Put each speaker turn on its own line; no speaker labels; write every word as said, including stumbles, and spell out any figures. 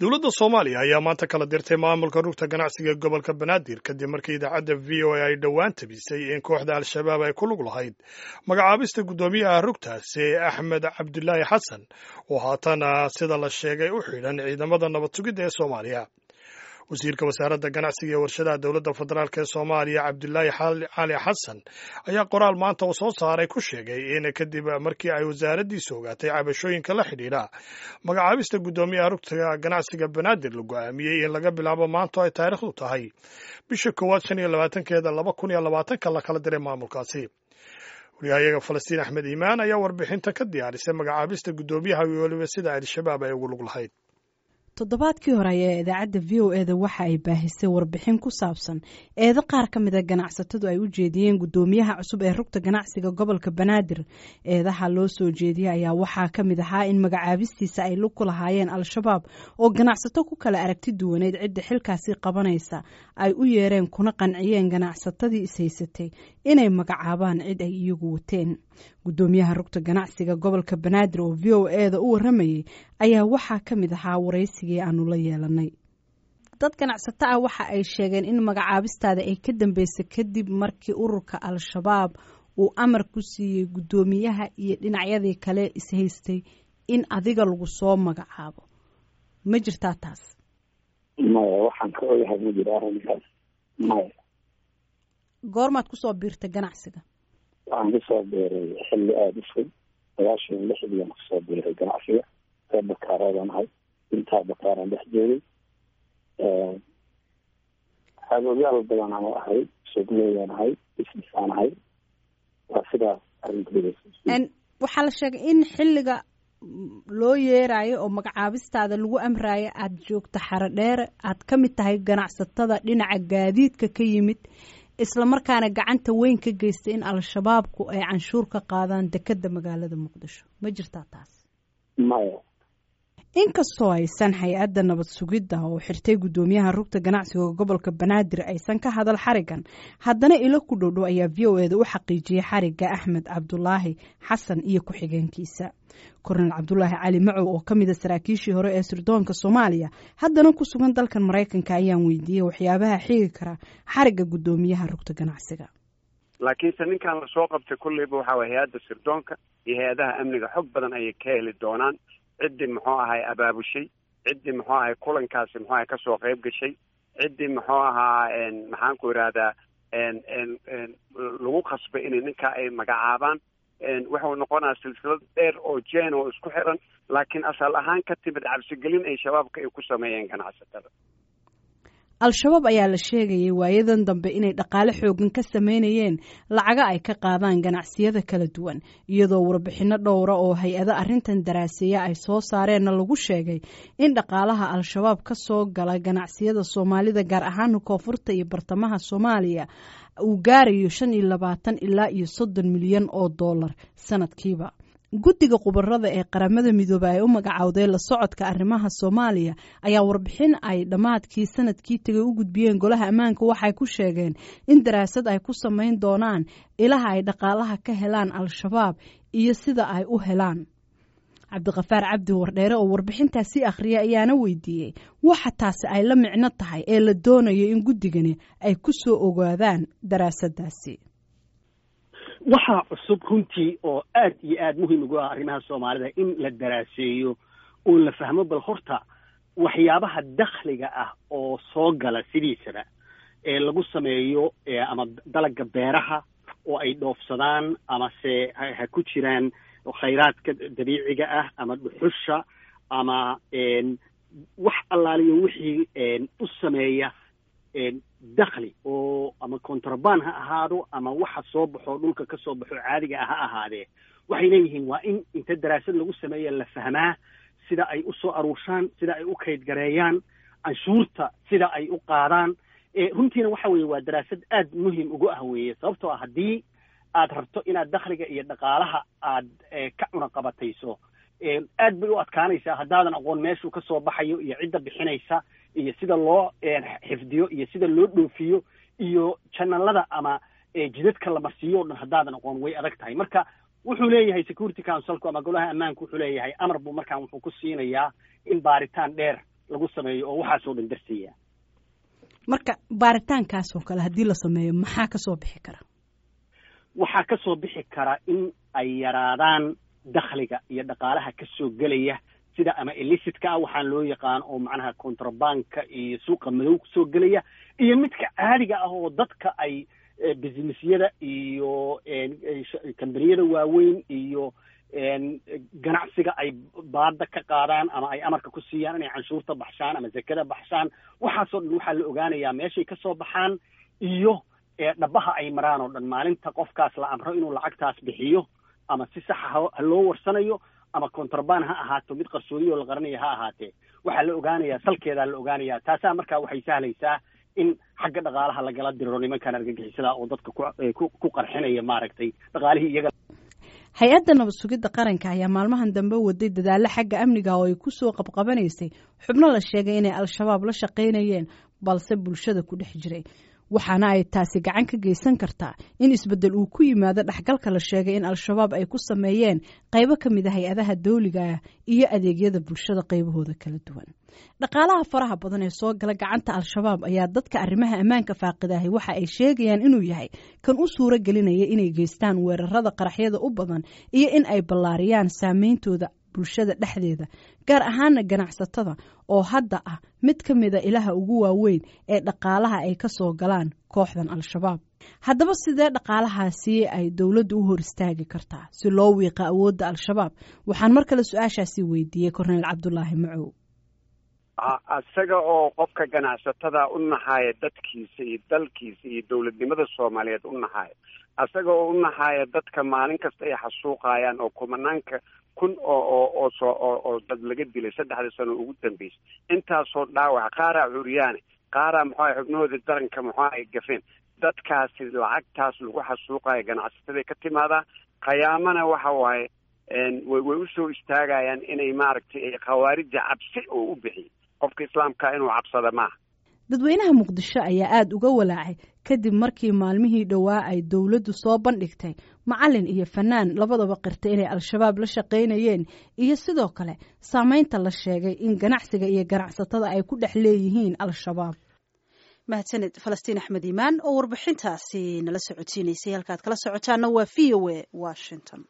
Dowladda Soomaaliya ayaa maanta kala dirtay maamulka rugta ganacsiga gobolka Banaadir, kadib markii idaacadda V O A ay dhowaan tabisay in kooxda Al-Shabaab ay ku lug lahayd magacaabista guddoomiyaha rugtaasi, Axmed Cabdulaahi Xasan, oo haatana sida la sheegay u xidhan ciidamada nabad sugidda ee Soomaaliya. Wasiirka wasaaradda ganacsiga ee warshadaha dowladda federaalk ee Soomaaliya, Cabdulaahi Cali Xasan, ayaa qoraal maanta uu soo saaray ku sheegay in kadib markii ay wasaaraddiisu ogaatay cabashooyinka la xidhiidha magacaabista guddoomiyaha rugta ganacsiga Banaadir, la go'aamiyey in laga bilaabo maanto ay taariikhdu tahay bisha koowaad shan iyo labaatankeeda laba kun iyo labaatanka la kala diray maamulkaasi. Wariyahayaga Falastiin Axmed Iimaan ayaa warbixinta ka diyaarisay magacaabista guddoomiyaha iyo weliba sida Al-Shabaab ay ugu lug lahayd.
Toddobaadkii hore ayaa idaacadda V O E da waxa ay baahisay warbixin ku saabsan eedo qaar ka mid a ganacsatadu ay u jeediyeen guddoomiyaha cusub ee rugta ganacsiga gobolka Banaadir. Eedaha loo soo jeediyey ayaa waxaa ka mid ahaa in magacaabistiisa ay lug ku lahaayeen Al-Shabaab, oo ganacsato ku kala aragti duwaneyd cidda xilkaasi qabanaysa ay u yeereen kuna qanciyeen ganacsatadii ishaysatay inay magacaabaan cid ay iyagu wateen. Guddoomiyaha rugta ganacsiga gobolka Banaadir oo V O E da u waramayay ayaa waxaa ka mid ahaa waraysigii aanu la yeelanay. Dad ganacsato ah waxa ay sheegeen in magacaabistaada ay ka dambeysay kadib markii ururka Al-Shabaab uu amar ku siiyey guddoomiyaha iyo dhinacyadii kale ishaystay in adiga lagu soo magacaabo. Ma jirtaa taas?
Maya, waxaan ka ogahay ma jiro arrinkaas, maya.
Goormaad kusoo biirtay ganacsiga?
Waxaan kusoo biiray xilli aada u fog, sagaashan iyo lixdiiaan kusoo biiray ganacsiga. Reer Bakaaroodaan ahay, intaa Bakaaraan dhex joogay. Xagoogyaal badan aan ahay, suuqleyaan ahay, business aan ahay, waa sidaas arrinteeda.
Waxaa la sheegay in xilliga loo yeerayo oo magacaabistaada lagu amraayo aada joogto Xaro Dheere, aad ka mid tahay ganacsatada dhinaca gaadiidka ka yimid, isla markaana gacanta weyn ka geystay in Al-Shabaabku ay canshuur ka qaadaan dekedda magaalada Muqdisho. Ma jirtaa taas?
Maya.
Inkastoo aysan hay-adda nabad sugidda oo xirtay guddoomiyaha rugta ganacsiga gobolka Banaadir aysan ka hadal xarigan, haddana ilo ku dhowdhow ayaa V O E da u xaqiijiyey xarigga Axmed Cabdulaahi Xasan iyo ku-xigeenkiisa. Kornel Cabdulaahi Cali Macow, oo ka mida saraakiishii hore ee sirdoonka Soomaaliya, haddana ku sugan dalkan Maraykanka, ayaan weydiiyey waxyaabaha xigi kara xarigga guddoomiyaha rugta ganacsiga.
Laakiinse ninkan lasoo qabtay kulleyba waxa waye hay-adda sirdoonka iyo hay-adaha amniga xog badan ayay ka heli doonaan ciddii muxuu ahay abaabushay, ciddii muxuu ahay kulankaasi muxuu ahay kasoo qayb gashay, ciddii muxuu ahaa, maxaan ku idhahdaa, lagu khasbay inay ninkaa ay magacaabaan. Wuxuu noqonayaa silsilad dheer oo jeen oo isku xiran, laakiin asal ahaan ka timid cabsigelin ay Shabaabka ay ku sameeyeen ganacsatada.
Al-Shabaab ayaa la sheegayay waayadan dambe inay dhaqaale xoogan ka sameynayeen lacaga ay ka qaadaan ganacsiyada kala duwan, iyadoo warbixinno dhowra oo hay-ado arrintan daraaseeya ay soo saareenna lagu sheegay in dhaqaalaha Al-Shabaab ka soo gala ganacsiyada Soomaalida, gaar ahaan koonfurta iyo bartamaha Soomaaliya, uu gaarayo shan iyo labaatan ilaa iyo soddon milyan oo dollar sanadkiiba. Guddiga khubarada ee Qaramada Midoobey ay u magacowday la socodka arrimaha Soomaaliya ayaa warbixin ay dhammaadkii sanadkii tegay u gudbiyeen Golaha Ammaanka waxay ku sheegeen in daraasad ay ku samayn doonaan ilaha ay dhaqaalaha ka helaan Al-Shabaab iyo sida ay u helaan. Cabdiqafaar Cabdi Wardheere oo warbixintaasi akhriya ayaana weydiiyey waxa taasi ay la micno tahay ee la doonayo in guddigani ay ku soo ogaadaan daraasadaasi.
Waxaa cusub runtii oo aad iyo aad muhiim ugu ah arrimaha Soomaalida in la daraaseeyo oo la fahmo bal horta waxyaabaha dakhliga ah oo soo gala sidiisaba ee lagu sameeyo ama dalagga beeraha oo ay dhoofsadaan, amase ha ku jiraan khayraadka dabiiciga ah ama dhuxusha ama wax allaaliyo wixii u sameeya dakhli, oo ama contraband ha ahaado ama waxa soo baxo dhulka ka soo baxo caadiga ah ha ahaadee, waxay leeyihiin waa in inta daraasad lagu sameeya la fahmaa sida ay u soo aruurshaan, sida ay u kaydgareeyaan canshuurta, sida ay u qaadaan. Runtiina waxa weeye waa daraasad aad muhiim ugu ah weeye, sababtoo ah haddii aad rabto inaad dakhliga iyo dhaqaalaha aad ka cunaqabatayso, aad bay u adkaanaysaa haddaadan aqoon meeshuu ka soo baxayo iyo cidda bixinaysa iyo sida loo xifdiyo iyo sida loo dhoofiyo iyo janalada ama jidadka la marsiiyo o dhan. Haddaadan aqoon, way adag tahay. Marka wuxuu leeyahay Security Councilku ama Golaha Ammaanku wuxuu leeyahay amar buu markaan wuxuu ku siinayaa in baaritaan dheer lagu sameeyo oo waxaasoo dhan darsaya.
Marka baaritaankaas oo kale haddii la sameeyo, maxaa kasoo bixi kara?
Waxaa kasoo bixi kara in ay yaraadaan dakhliga iyo dhaqaalaha kasoo gelaya sida ama illicit-ka ah waxaan loo yaqaan, oo macnaha contraband-ka iyo suuqa madow kusoo gelaya, iyo midka caadiga ah oo dadka ay businessyada iyo kambaniyada waaweyn iyo ganacsiga ay baada ka qaadaan ama ay amarka ku siiyaan inay canshuurta baxshaan ama zakada baxshaan. Waxaasoo dhan waxaa la ogaanayaa meeshay kasoo baxaan iyo dhabaha ay maraan oo dhan. Maalinta qofkaas la amro inuu lacagtaas bixiyo, ama si saxa ha loo warsanayo ama contraband ha ahaato, mid qarsoodiyo la qaranayo ha ahaatee, waxaa la ogaanayaa salkeedaa la ogaanayaa. Taasaa markaa waxay sahlaysaa in xagga dhaqaalaha lagala diriro nimankan argagixisada oo dadka ku ku qarxinaya maaragtay dhaqaalihii iyaga.
Hay-adda nabad sugidda qaranka ayaa maalmahan dambe waday dadaallo xagga amniga oo ay ku soo qabqabanaysay xubno la sheegay inay Al-Shabaab la shaqaynayeen balse bulshada ku dhex jiray, waxaana ay taasi gacan ka geysan kartaa in isbeddel uu ku yimaado dhexgalka la sheegay in Al-Shabaab ay ku sameeyeen qaybo ka mid a hay-adaha dawliga ah iyo adeegyada bulshada qaybahooda kala duwan. Dhaqaalaha faraha badan ee soo gala gacanta Al-Shabaab ayaa dadka arrimaha ammaanka faaqidahay waxa ay sheegayaan inuu yahay kan u suuro gelinaya inay geystaan weerarada qaraxyada u badan iyo in ay ballaariyaan saameyntooda bulshada dhexdeeda, gaar ahaana ganacsatada oo hadda ah mid ka mida ilaha ugu waaweyn ee dhaqaalaha ay ka soo galaan kooxdan Al-Shabaab. Haddaba sidee dhaqaalahaasi ay dowladdu u hor istaagi kartaa si loo wiiqa awoodda Al-Shabaab? Waxaan mar kale su-aashaasi weydiiyey Korneyl Cabdulaahi Macow.
Isaga oo qofka ganacsatada u naxaaya dadkiisa iyo dalkiisa iyo dowladnimada Soomaaliyeed u naxaaya, isaga oo u naxaaya dadka maalin kasta ay xasuuqayaan oo kumanaanka kun oo oo oo soo oo oo dad laga dilay saddexda sano ugu dambeysay, intaasoo dhaawac, qaaraa curyaane, qaaraa muxuu ahay xubnahooda daranka muxuu ay gafeen, dadkaasi lacagtaas lagu xasuuqayo ganacsataday ka timaadaa. Khiyaamana waxa waaye way way usoo istaagayaan inay maaragtay khawaarijda cabsi oo u bixiyay qofka islaamka inuu cabsada maaha.
Dadweynaha Muqdisho ayaa aada uga walaacay kadib markii maalmihii dhowaa ay dowladdu soo bandhigtay macalin iyo fanaan labadaba qirtay inay Al-Shabaab la shaqaynayeen, iyo sidoo kale saameynta la sheegay in ganacsiga iyo ganacsatada ay ku dhex leeyihiin Al-Shabaab.
Mahadsaned Falastiin Axmed Iimaan oo warbixintaasi nala socodsiinaysay. Halkaad kala socotaana waa V O A Washington.